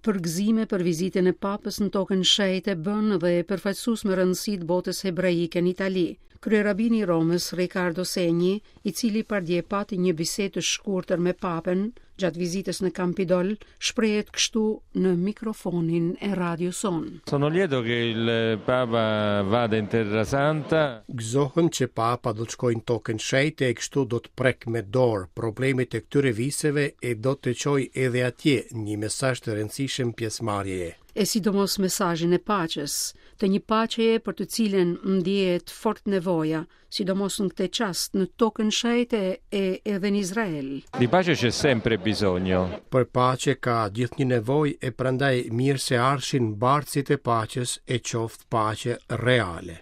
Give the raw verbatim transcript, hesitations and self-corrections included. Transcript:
Përgëzime për vizitën e Papës në Tokën Shenjte bën dhe përfaqësues me rëndësi të botës hebraike në Itali. Kryerabini i Romës, Riccardo Segni, i cili pardje pati një bisedë të shkurtër me Papën gjatë vizitës në Campidol, shprehet kështu në mikrofonin e radios sonë. Sono lieto che il Papa vada in Terra Santa. Gëzohem që Papa do të shkojë në Tokën Shenjte e kështu do të prek me dorë problemet e këtyre viseve e do të çojë edhe atje një mesazh të rëndësishëm pjesëmarrjeje. E sidomos mesazhin e paqes, të një paqeje për të cilën ndjehet fort nevoja, sidomos në këtë çast në Tokën Shenjte e edhe në Izrael. Di pace c'è sempre bisogno. Për paqe ka gjithnjë nevojë e prandaj mirë se ardhshin bartësit e paqes, e qoftë paqe reale.